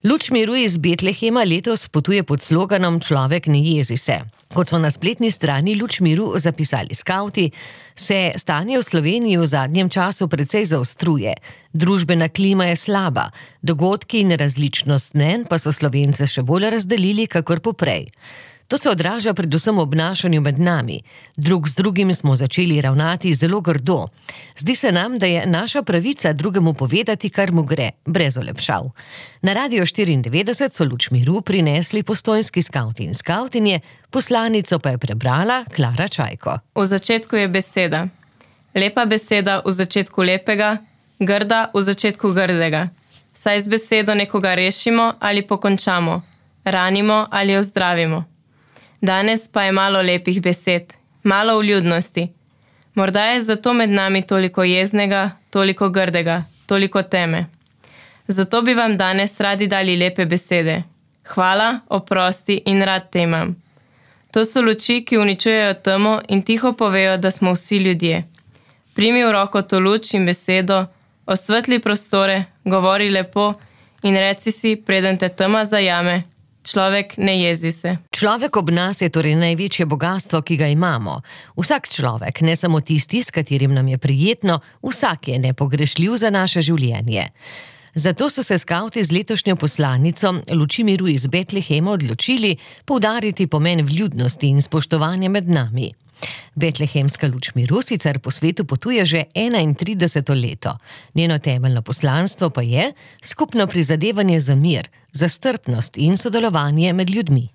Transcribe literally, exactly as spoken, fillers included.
Luč miru iz Betlehema letos potuje pod sloganom Človek ne jezi se. Kot so na spletni strani Luč miru zapisali skavti, se stanje v Sloveniji v zadnjem času precej zaostruje. Družbena klima je slaba, dogodki in različnost mnenj pa so Slovence še bolj razdelili kakor poprej. To se odraža predvsem v obnašanju med nami. Drug z drugim smo začeli ravnati zelo grdo. Zdi se nam, da je naša pravica drugemu povedati, kar mu gre, brez olepšav. Na Radio štiriindevetdeset so Luč miru prinesli postojnski skavti in skavtinje, poslanico pa je prebrala Klara Čajko. V začetku je beseda. Lepa beseda v začetku lepega, grda v začetku grdega. Saj z besedo nekoga rešimo ali pokončamo, ranimo ali ozdravimo. Danes pa je malo lepih besed, malo vljudnosti. Morda je zato med nami toliko jeznega, toliko grdega, toliko teme. Zato bi vam danes radi dali lepe besede. Hvala, oprosti in rad te imam. To so luči, ki uničujejo temo in tiho povejo, da smo vsi ljudje. Primi v roko to luč in besedo, osvetli prostore, govori lepo in reci si, preden te tema zajame, človek ne jezi se. Človek ob nas je torej največje bogastvo, ki ga imamo. Vsak človek, ne samo tisti, s katerim nam je prijetno, vsak je nepogrešljiv za naše življenje. Zato so se skavti z letošnjo poslanico Luči miru iz Betlehema odločili poudariti pomen vljudnosti in spoštovanja med nami. Betlehemska Luč miru sicer po svetu potuje že enaintrideseto leto. Njeno temeljno poslanstvo pa je skupno prizadevanje za mir, za strpnost in sodelovanje med ljudmi.